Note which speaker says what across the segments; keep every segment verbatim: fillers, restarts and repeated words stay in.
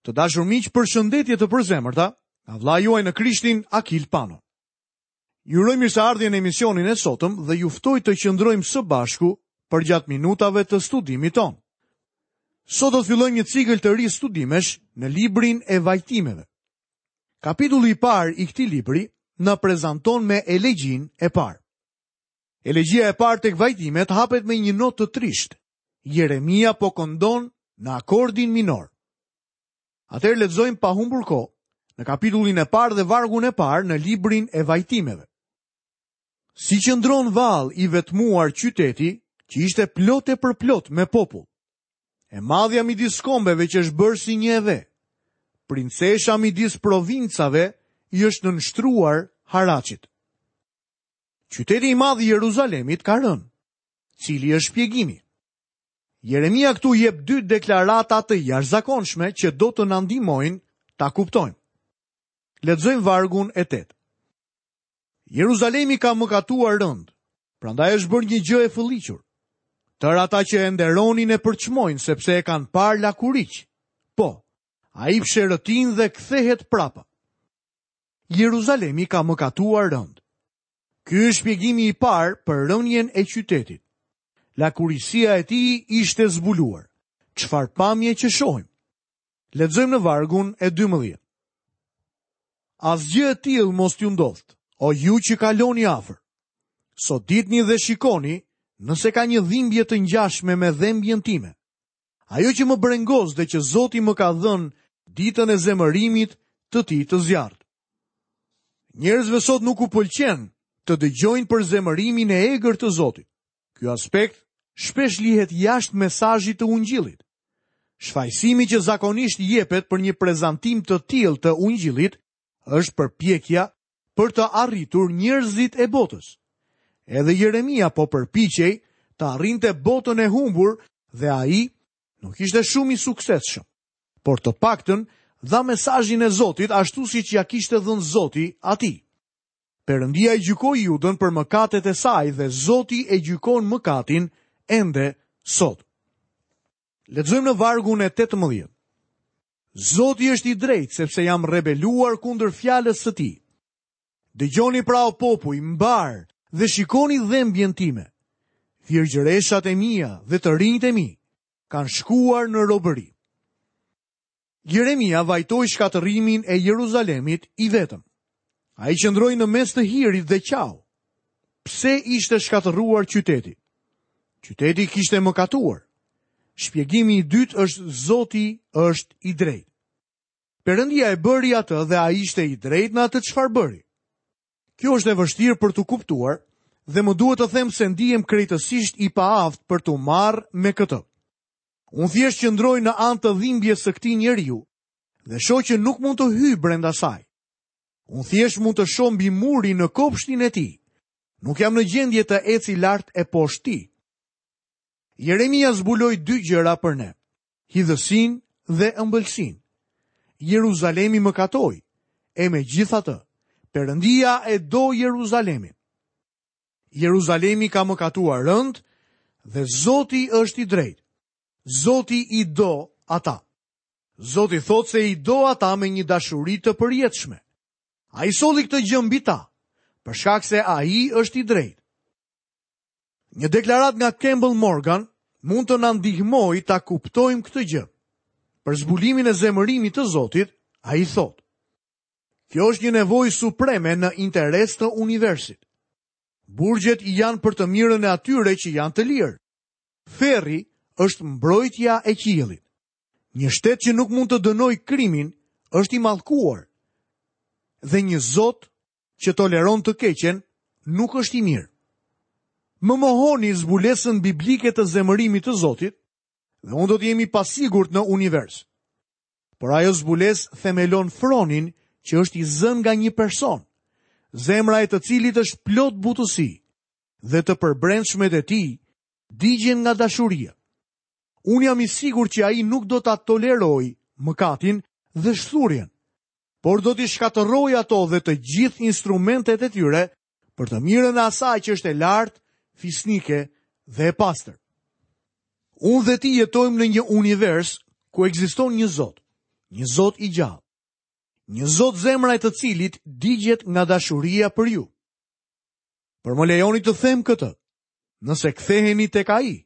Speaker 1: Të dashur miq, përshëndetje të përzemërta nga vëllai juaj në Krishtin, Akil Pano. Ju uroj mirëseardhje në emisionin e sotëm dhe ju ftoj të qëndrojmë së bashku përgjatë minutave të studimit tonë. Sot do të fillojmë një cikël të ri studimesh në librin e vajtimeve. Kapitulli i parë i këtij libri na prezanton me elegjinë e parë. Elegjia e parë tek vajtimet hapet me një notë të trishtë. Jeremia po këndon në akordin minor. Atëherë lexojmë pa humbur kohë në kapitullin e parë dhe vargun e parë në librin e vajtimeve. Si qëndron vallë i vetmuar qyteti që ishte plot e përplot me popull. E madhja midis kombeve që është bërë si një e ve. Princesha midis provincave i është nënshtruar haraçit. Qyteti i madh i Jeruzalemit ka rënë. Cili është shpjegimi? Jeremia këtu jep dy deklarata të jashtëzakonshme që do të na ndihmojnë ta kuptojmë. Lexojmë vargun e tetë. Jeruzalemi ka mëkatuar rënd, prandaj është bërë një gjë e fëlliqur. Tërë ata që e nderonin e përçmojnë sepse e kanë parë lakuriq. Po, ai psherëtin dhe kthehet prapa. Jeruzalemi ka mëkatuar rënd. Ky është shpjegimi i parë për rënien e qytetit. Lakurisia e tij ishte zbuluar. Çfarë pamje që shohim? Lexojmë në vargun e dymbëdhjetë. Asgjë e tillë mos t'ju ndodhtë, o ju që kaloni afër. Soditni dhe shikoni nëse ka një dhimbje të ngjashme me dhembjen time. Ajo që më brengos dhe që Zoti më ka dhënë ditën e zemërimit të tij të zjarrt. Njerëzve sot nuk u pëlqen të dëgjojnë për zemërimin e egër të Zotit. Ky aspekt shpesh lihet jashtë mesazhit të ungjillit. Shfajësimi që zakonisht jepet për një prezantim të tillë të ungjillit është përpjekja për të arritur njerëzit e botës. Edhe Jeremia po përpiqej të arrinte botën e humbur dhe ai nuk ishte shumë i suksesshëm, por të paktën dha mesazhin e Zotit ashtu siç ja kishte dhënë Zoti atij. Perëndia e gjykoi Judën për mëkatet e saj dhe Zoti e gjykon mëkatin ende sot. Lexojmë në vargun e tetëmbëdhjetë. Zoti është i drejtë sepse jam rebeluar kundër fjalës së tij. Dëgjoni pra o popuj, mbar dhe shikoni dhembjen time. Virgjëreshat e mia dhe të rinjtë e mi kanë shkuar në robëri. Jeremia vajtoi shkatërrimin e Jeruzalemit i vetëm. Ai qëndroi në mes të hirit dhe qau. Pse ishte shkatërruar qyteti? Qyteti kishte mëkatuar. Shpjegimi i dytë është Zoti është i drejtë. Perëndia e bëri atë dhe ai ishte i drejtë në atë çfarë bëri. Kjo është e vështirë për t'u kuptuar dhe më duhet të them se ndihem krejtësisht i paaftë për t'u marrë me këtë. Unë thjesht qëndroj në anë të dhimbjes së këtij njeriu dhe shoh që nuk mund të hyj brenda saj. Unë thjesht mund të shoh mbi murin në kopshtin e tij. Nuk jam në gjendje të eci lart e poshtë tij. Jeremia zbuloi dy gjëra për ne: hidhësinë dhe ëmbëlsinë. Jeruzalemi mëkatoi, e megjithatë, Perëndia e do Jeruzalemin. Jeruzalemi ka mëkatuar rënd dhe Zoti është i drejtë. Zoti i do ata. Zoti thotë se i do ata me një dashuri të përjetshme. Ai solli këtë gjë mbi ta, për shkak se ai është i drejtë. Një deklaratë nga Campbell Morgan mund të na ndihmojë ta kuptojmë këtë gjë. Për zbulimin e zemërimit të Zotit, ai thotë: Kjo është një nevojë supreme në interes të universit. Burgjet janë për të mirën e atyre që janë të lirë. Ferri është mbrojtja e qiellit. Një shtet që nuk mund të dënojë krimin është i mallkuar. Dhe një Zot që toleron të keqen nuk është i mirë. Më mohoni zbulesën biblike të zemërimit të Zotit dhe unë do të jem i pasigurt në univers. Por ajo zbulesë themelon fronin që është i zënë nga një person, zemra e të cilit është plot butësi dhe të përbrendshmet e tij digjen nga dashuria. Unë jam i sigurt që ai nuk do ta tolerojë mëkatin dhe shthurjen, por do t'i shkatërrojë ato dhe të gjithë instrumentet e tyre për të mirën e asaj që është e lartë, fisnike dhe e pastër. Unë dhe ti jetojmë në një univers ku ekziston një Zot, Një Zot i gjallë. Një Zot zemra e të cilit digjet nga dashuria për ju. Por më lejoni të them këtë, nëse ktheheni tek ai,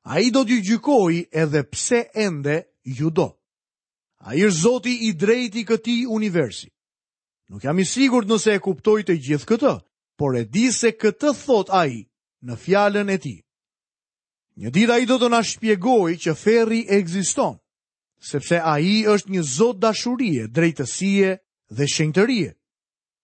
Speaker 1: ai do t'ju gjykojë edhe pse ende ju do. Ai është Zoti i drejtë i këtij universi. Nuk jam i sigurt nëse e kuptoj të gjithë këtë, por e di se këtë thot ai në fjalën e tij. Një ditë ai do të na shpjegojë që ferri ekziston, sepse ai është një Zot dashurie, drejtësie dhe shenjtërie.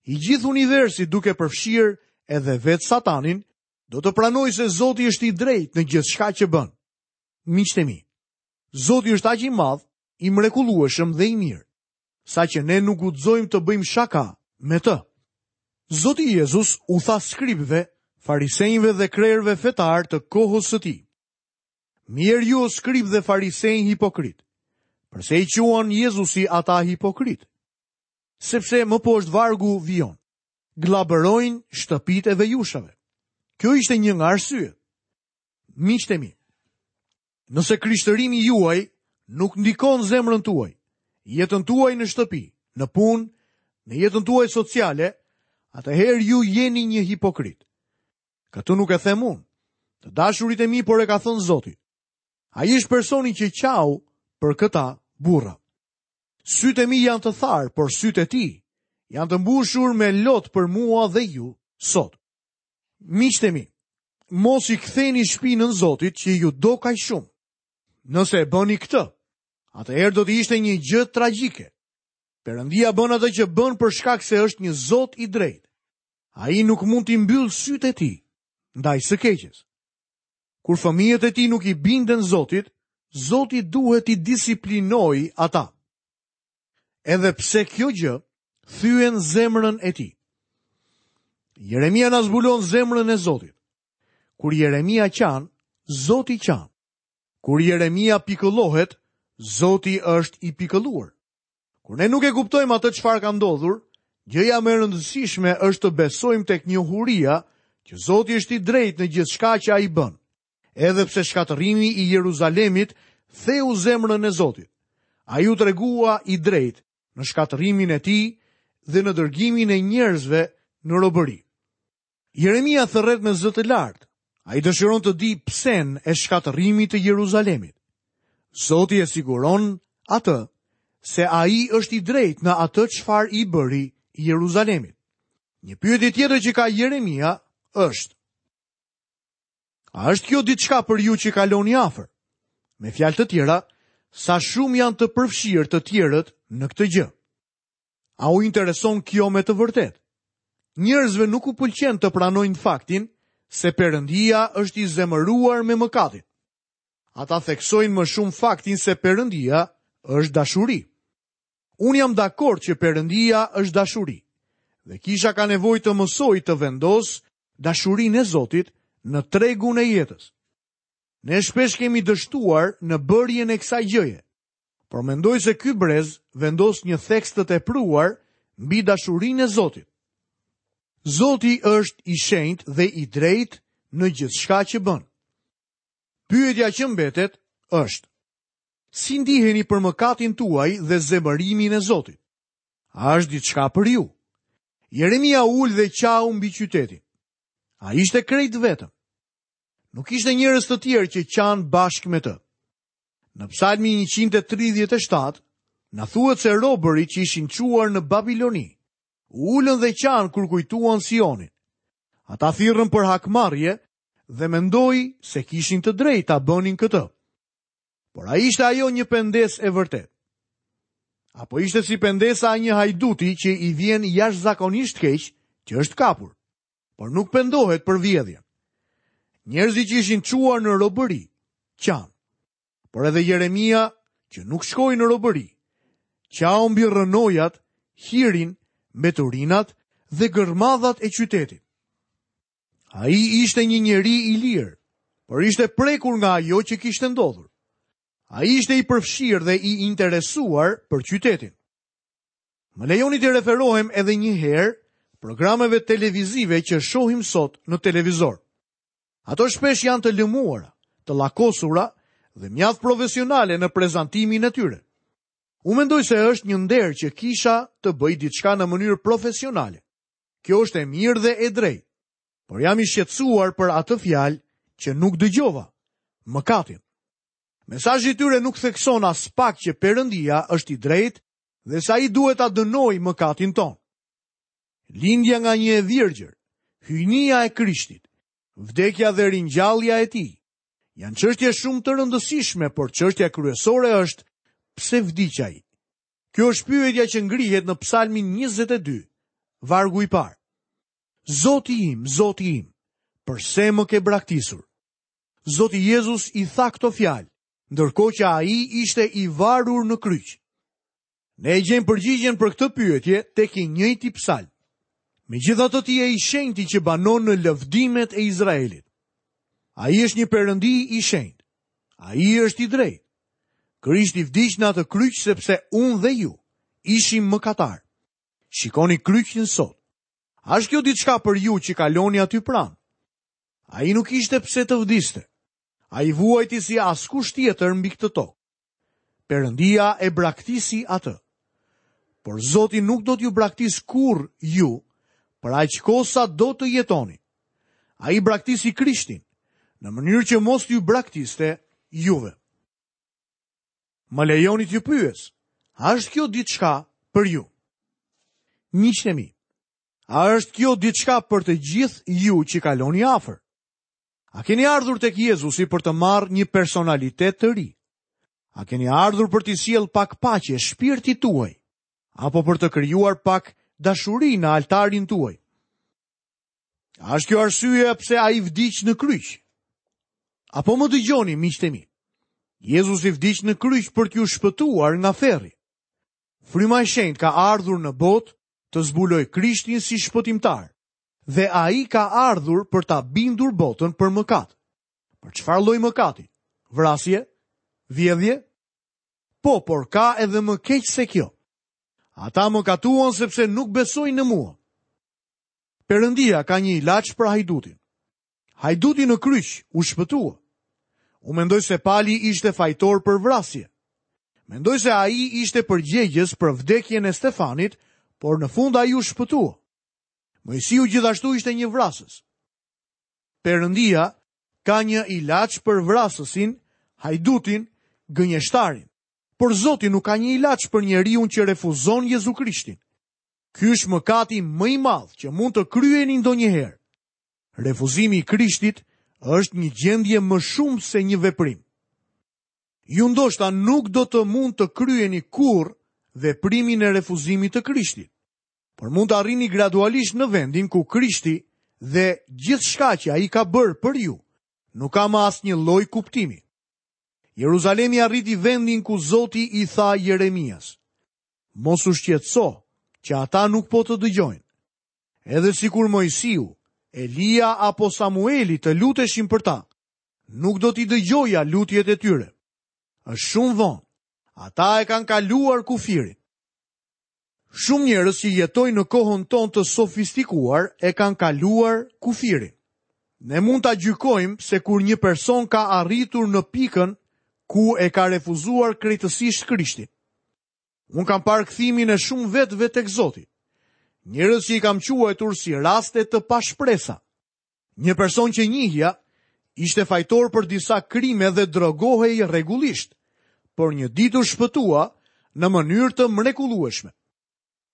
Speaker 1: I gjithë universi, duke përfshirë edhe vetë Satanin, do të pranojë se Zoti është i drejtë në gjithçka që bën. Miqtë e mi, Zoti është aq i madh, i mrekullueshëm dhe i mirë, saqë ne nuk guxojmë të bëjmë shaka me të. Zoti Jezus u tha skribëve, farisenjve dhe krerëve fetar të kohës së tij: Mirë ju, skrib dhe farisenj hipokrit. Përse i quan Jezusi ata hipokrit? Sepse më poshtë vargu vijon: Glabërojnë shtëpitë e vejushave. Kjo ishte një nga arsyet. Miqtë e mi, nëse krishtërimi juaj nuk ndikon zemrën tuaj, jetën tuaj në shtëpi, në punë, në jetën tuaj sociale, atëherë ju jeni një hipokrit. Këtë nuk e them unë, të dashurit e mi, por e ka thënë Zoti. Ai është personi që qau për këta burra. Sytë e mi janë të tharë, por sytë e tij janë të mbushur me lot për mua dhe ju sot. Miqtë e mi, mos i ktheni shpinën Zotit që ju do kaq shumë. Nëse e bëni këtë, atëherë do të ishte një gjë tragjike. Perëndia bën atë që bën për shkak se është një Zot i drejtë. Ai nuk mund t'i mbyllë sytë e tij ndaj së keqes. Kur fëmijët e tij nuk i binden Zotit, Zoti duhet t'i disiplinojë ata. Edhe pse kjo gjë thyen zemrën e tij. Jeremia na zbulon zemrën e Zotit. Kur Jeremia qan, Zoti qan. Kur Jeremia pikëllohet, Zoti është i pikëlluar. Kur ne nuk e kuptojmë atë çfarë ka ndodhur, gjëja më e rëndësishme është të besojmë tek njohuria që Zoti është i drejtë në gjithçka që ai bën. Edhe pse shkatërrimi i Jeruzalemit theu zemrën e Zotit, ai u tregua i drejtë në shkatërrimin e tij dhe në dërgimin e njerëzve në robëri. Jeremia thërret me zë të lartë. Ai dëshiron të di psen e shkatërrimit të Jeruzalemit. Zoti e siguron atë se ai është i drejtë në atë çfarë i bëri Jeruzalemit. Një pyetje tjetër që ka Jeremia është: A është kjo diçka për ju që kaloni afër? Me fjalë të tjera, sa shumë janë të përfshirë të tjerët në këtë gjë? A u intereson kjo me të vërtetë? Njerëzve nuk u pëlqen të pranojnë faktin se Perëndia është i zemëruar me mëkatin. Ata theksojnë më shumë faktin se Perëndia është dashuri. Unë jam dakord që Perëndia është dashuri, dhe kisha ka nevojë të mësojë të vendosë dashurinë e Zotit në tregun e jetës. Ne shpesh kemi dështuar në bërjen e kësaj gjëje, por mendoj se ky brez vendos një theks të tepruar mbi dashurinë e Zotit. Zoti është i shenjtë dhe i drejtë në gjithçka që bën. Pyetja që mbetet është: si ndiheni për mëkatin tuaj dhe zemërimin e Zotit? A është diçka për ju? Jeremia u ul dhe qau mbi qytetin. Ai ishte krejt vetëm. Nuk ishte njerëz të tjerë që qanë bashkë me të. Në Psalmin njëqind e tridhjetë e shtatë, na thuhet se robërit që ishin çuar në Babiloni u ulën dhe qanë kur kujtuan Sionin. Ata thirrën për hakmarrje dhe mendoi se kishin të drejtë ta bënin këtë. Por a ishte ajo një pendesë e vërtetë? Apo ishte si pendesa e një hajduti që i vjen jashtëzakonisht keq që është kapur, por nuk pendohet për vjedhjen. Njerëzit që ishin çuar në robëri qanë. Por edhe Jeremia, që nuk shkoi në robëri, qau mbi rrënojat, hirin, mbeturinat dhe gërmadhat e qytetit. Ai ishte një njeri i lirë, por ishte prekur nga ajo që kishte ndodhur. Ai ishte i përfshirë dhe i interesuar për qytetin. Më lejoni të referohem edhe një herë programeve televizive që shohim sot në televizor. Ato shpesh janë të lëmuara, të llakosura dhe mjaft profesionale në prezantimin e tyre. Unë mendoj se është një nder që kisha të bëjë diçka në mënyrë profesionale. Kjo është e mirë dhe e drejtë. Por jam i shqetësuar për atë fjalë që nuk dëgjova, mëkatin. Mesazhi i tyre nuk thekson as pak që Perëndia është i drejtë dhe se ai duhet ta dënojë mëkatin tonë. Lindja nga një e virgjër, hyjnia e Krishtit, vdekja dhe ringjallja e tij, janë çështje shumë të rëndësishme, por çështja kryesore është pse vdiq ai. Kjo është pyetja që ngrihet në Psalmin njëzet e dy, vargu i parë. Zoti im, Zoti im, përse më ke braktisur? Zoti Jezus i tha këto fjalë, ndërkohë që ai ishte i varur në kryq. Ne e gjejmë përgjigjen për këtë pyetje tek i njëjti psalm. Megjithatë ti je i shenjti që banon në lëvdimet e Izraelit. Ai është një perëndi i shenjtë. Ai është i drejtë. Krishti vdiq në atë kryq sepse unë dhe ju ishim mëkatar. Shikoni kryqin sot. A është kjo diçka për ju që kaloni aty pranë? Ai nuk ishte pse të vdiste. Ai vuajti si askush tjetër mbi këtë tokë. Perëndia e braktisi atë. Por Zoti nuk do t'ju braktis kurrë ju, për aq kohë sa do të jetoni. Ai braktisi Krishtin, në mënyrë që mos t'ju braktiste juve. Më lejoni t'ju pyes, a është kjo diçka për ju? Miqtë e mi, a është kjo diçka për të gjithë ju që kaloni afër? A keni ardhur tek Jezusi për të marrë një personalitet të ri? A keni ardhur për t'i sjellë pak paqe shpirtit tuaj, apo për të krijuar pak dashuri në altarin tuaj? A është kjo arsyeja pse ai vdiq në kryq? Apo më dëgjoni, miqtë e mi? Jezusi vdiq në kryq për t'ju shpëtuar nga ferri. Fryma e Shenjtë ka ardhur në botë të zbuloj Krishtin si shpëtimtar, dhe ai ka ardhur për ta bindur botën për mëkat. Për çfarë lloj mëkati? Vrasje? Vjedhje? Po, por ka edhe më keq se kjo. Ata mëkatuan sepse nuk besojnë në mua. Perëndia ka një ilaç për hajdutin. Hajduti në kryq u shpëtua. Unë mendoj se Pali ishte fajtor për vrasje. Mendoj se ai ishte përgjegjës për vdekjen e Stefanit, por në fund ai u shpëtua. Moisiu gjithashtu ishte një vrasës. Perëndia ka një ilaç për vrasësin, hajdutin, gënjeshtarin. Por Zoti nuk ka një ilaç për njeriun që refuzon Jezu Krishtin. Ky është mëkati më i madh që mund të kryeni ndonjëherë. Refuzimi i Krishtit është një gjendje më shumë se një veprim. Ju ndoshta nuk do të mund të kryeni kurrë veprimin e refuzimit të Krishtit, por mund të arrini gradualisht në vendin ku Krishti dhe gjithçka që ai ka bërë për ju nuk ka më asnjë lloj kuptimi. Jeruzalemi arriti vendin ku Zoti i tha Jeremias: Mos u shqetëso që ata nuk po të dëgjojnë. Edhe sikur Moisiu, Elia apo Samueli të luteshin për ta, nuk do t'i dëgjoja lutjet e tyre. Është shumë vonë. Ata e kanë kaluar kufirin. Shumë njerëz që jetojnë në kohën tonë të sofistikuar e kanë kaluar kufirin. Ne mund ta gjykojmë se kur një person ka arritur në pikën ku e ka refuzuar krejtësisht Krishtin. Unë kam parë kthimin e shumë vetëve tek Zoti. Njerëz që i kam quajtur si raste të pashpresa. Një person që njihja ishte fajtor për disa krime dhe drogohej rregullisht, por një ditë u shpëtua në mënyrë të mrekullueshme.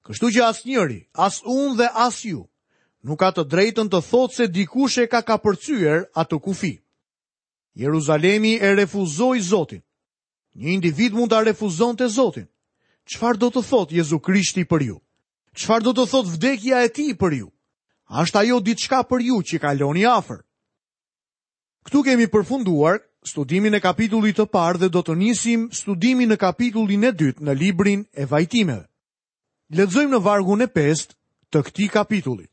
Speaker 1: Kështu që asnjëri, as unë dhe as ju, nuk ka të drejtën të thotë se dikush e ka kapërcyer atë kufi. Jeruzalemi e refuzoi Zotin. Një individ mund ta refuzonte Zotin. Çfarë do të thotë Jezu Krishti për ju? Çfarë do të thotë vdekja e tij për ju? A është ajo diçka për ju që kaloni afër? Këtu kemi përfunduar studimin e kapitullit të parë dhe do të nisim studimin në kapitullin e dytë në librin e vajtimeve. Lexojmë në vargun e pestë të këtij kapitulli.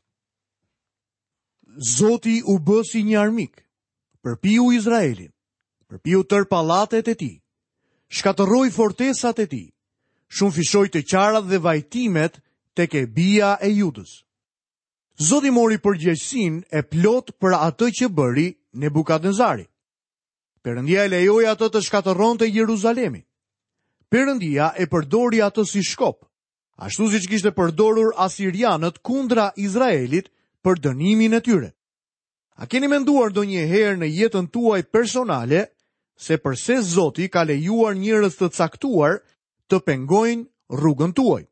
Speaker 1: Zoti u bë si një armik, përpiu Izraelin, përpiu tër pallatet e tij, shkatërroi fortesat e tij, shumëfishoi të qarat dhe vajtimet tek e bija e Judës. Zoti mori përgjegjësinë e plot për atë që bëri Nebukadnezari. Perëndia e lejoi atë të shkatërronte Jeruzalemin. Perëndia e përdori atë si shkop, ashtu siç kishte përdorur asirianët kundra Izraelit për dënimin e tyre. A keni menduar ndonjëherë në jetën tuaj personale se përse Zoti ka lejuar njerëz të caktuar të pengojnë rrugën tuaj?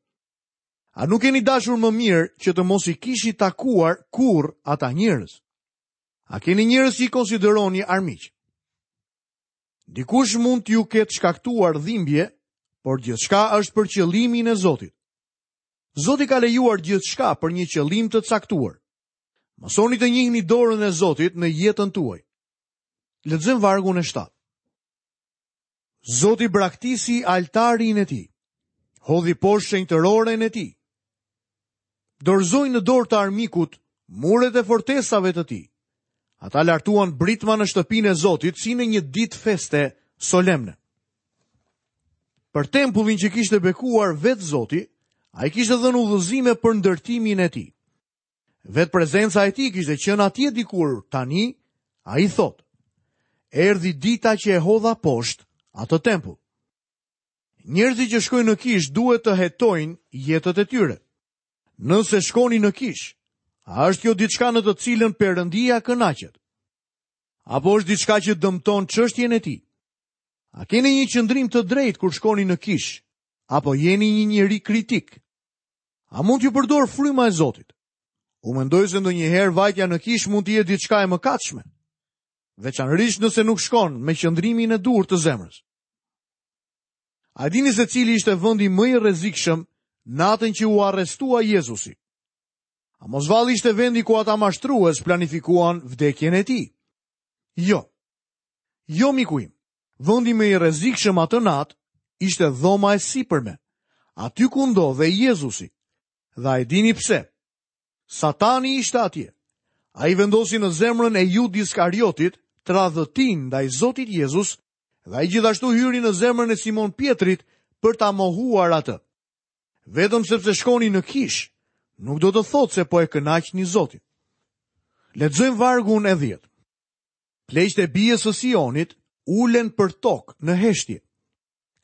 Speaker 1: A nuk keni dashur më mirë që të mos i kishit takuar kurrë ata njerëz? A keni njerëz që i konsideroni armiq? Dikush mund t'ju ketë shkaktuar dhimbje, por gjithçka është për qëllimin e Zotit. Zoti ka lejuar gjithçka për një qëllim të caktuar. Mësoni të njihni dorën e Zotit në jetën tuaj. Lexojmë vargun e shtatë. Zoti braktisi altarin e tij, hodhi poshtë shenjtëroren e tij. Dorëzoi në dorë të armikut muret e fortesave të tij. Ata lartuan britma në shtëpinë e Zotit si në një ditë feste solemne. Për tempullin që kishte bekuar vetë Zoti, ai kishte dhënë udhëzime për ndërtimin e tij. Vetë prezenca e tij kishte qenë atje dikur, tani ai thotë: Erdhi dita që e hodha poshtë atë tempull. Njerëzit që shkojnë në kishë duhet të hetojnë jetët e tyre. Nëse shkoni në kishë, a është kjo diçka në të cilën Perëndia kënaqet? Apo është diçka që dëmton çështjen e tij? A keni një qëndrim të drejtë kur shkoni në kishë, apo jeni një njeri kritik? A mund t'ju përdor fryma e Zotit? Unë mendoj se ndonjëherë vajtja në kishë mund të jetë diçka e mëkatshme, veçanërisht nëse nuk shkon me qëndrimin e duhur të zemrës. A dini se cili ishte vendi më i rrezikshëm natën që u arrestua Jezusi? A mos vallë ishte vendi ku ata mashtrues planifikuan vdekjen e tij? Jo. Jo, miku im. Vendi më i rrezikshëm atë natë ishte dhoma e sipërme, aty ku ndodhej Jezusi. Dhe a e dini pse? Satani ishte atje. Ai vendosi në zemrën e Judë Iskariotit tradhëtin ndaj Zotit Jezus dhe ai gjithashtu hyri në zemrën e Simon Pietrit për ta mohuar atë. Vetëm sepse shkoni në kishë, nuk do të thotë se po e kënaqni Zotin. Lexojmë vargun e dhjetë. Pleqtë e bijës së Sionit ulen për tokë në heshtje.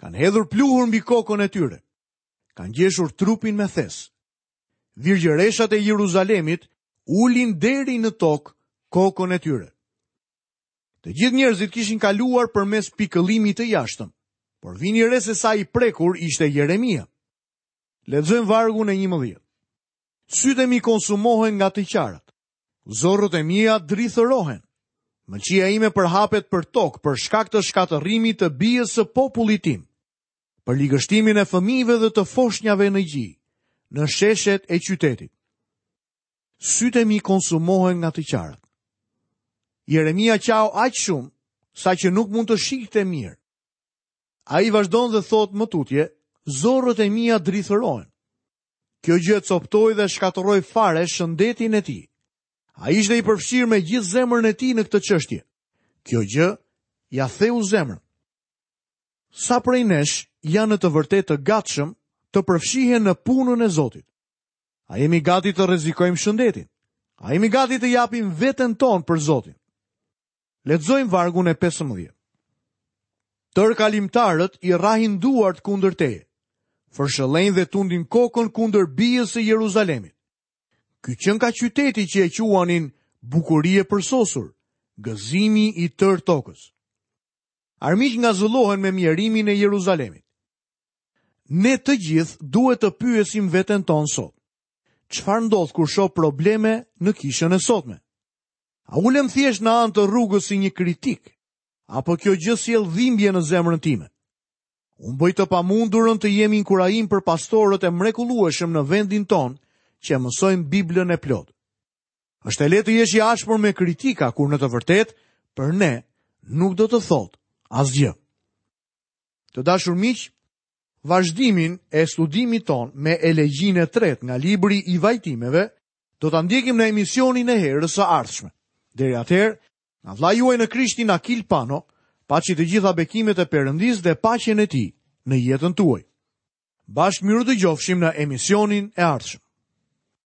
Speaker 1: Kanë hedhur pluhur mbi kokën e tyre. Kanë ngjeshur trupin me thes. Virgjëreshat e Jeruzalemit ulin deri në tokë kokën e tyre. Të gjithë njerëzit kishin kaluar përmes pikëllimit të jashtëm, por vini re se sa i prekur ishte Jeremia. Lexojmë vargun e njëmbëdhjetë. Sytë e mi konsumohen nga të qarat. Zorrët e mia drithërohen. Mëlçia ime përhapet për tokë për shkak të shkatërrimit të bijës së popullit tim, për ligështimin e fëmijëve dhe të foshnjave në gji, në sheshet e qytetit. Sytë e mi konsumohen nga të qarat. Jeremia qau aq shumë sa që nuk mund të shihte mirë. Ai vazhdon dhe thotë më tutje, zorrët e mia drithërohen. Kjo gjë e coptoi dhe shkatërroi fare shëndetin e tij. Ai ishte i përfshirë me gjithë zemrën e tij në këtë çështje. Kjo gjë ja theu zemrën. Sa prej nesh janë në të vërtetë të gatshëm të përfshihen në punën e Zotit? A jemi gati të rrezikojmë shëndetin? A jemi gati të japim veten tonë për Zotin? Lexojmë vargun e pesëmbëdhjetë. Tër kalimtarët i rrahin duart kundër teje, fërshëllejnë dhe tundin kokën kundër bijës së Jeruzalemit. Ky qenka qyteti që e quanin bukuri e përsosur, gëzimi i tër tokës. Armiq ngazullohen me mjerimin e Jeruzalemit. Ne të gjithë duhet të pyesim veten tonë sot. Çfarë ndodh kur shoh probleme në kishën e sotme? A ulem thjesht në anë të rrugës si një kritik, apo kjo gjë sjell dhimbje në zemrën time? Unë bëj të pamundurën të jem inkurajim për pastorët e mrekullueshëm në vendin tonë që e mësojnë Biblën e plotë. Është e lehtë të jesh i ashpër me kritika kur në të vërtetë për ne nuk do të thotë asgjë. Të dashur miq, vazhdimin e studimit ton me elegjinë e tretë nga libri i vajtimeve do ta ndjekim në emisionin e herës së ardhshme. Deri atëherë, nga vëllai juaj në Krishtin Akil Pano, paçi të gjitha bekimet e Perëndisë dhe paqen e tij në jetën tuaj. Bashkë mirë dëgjofshim në emisionin e ardhshëm.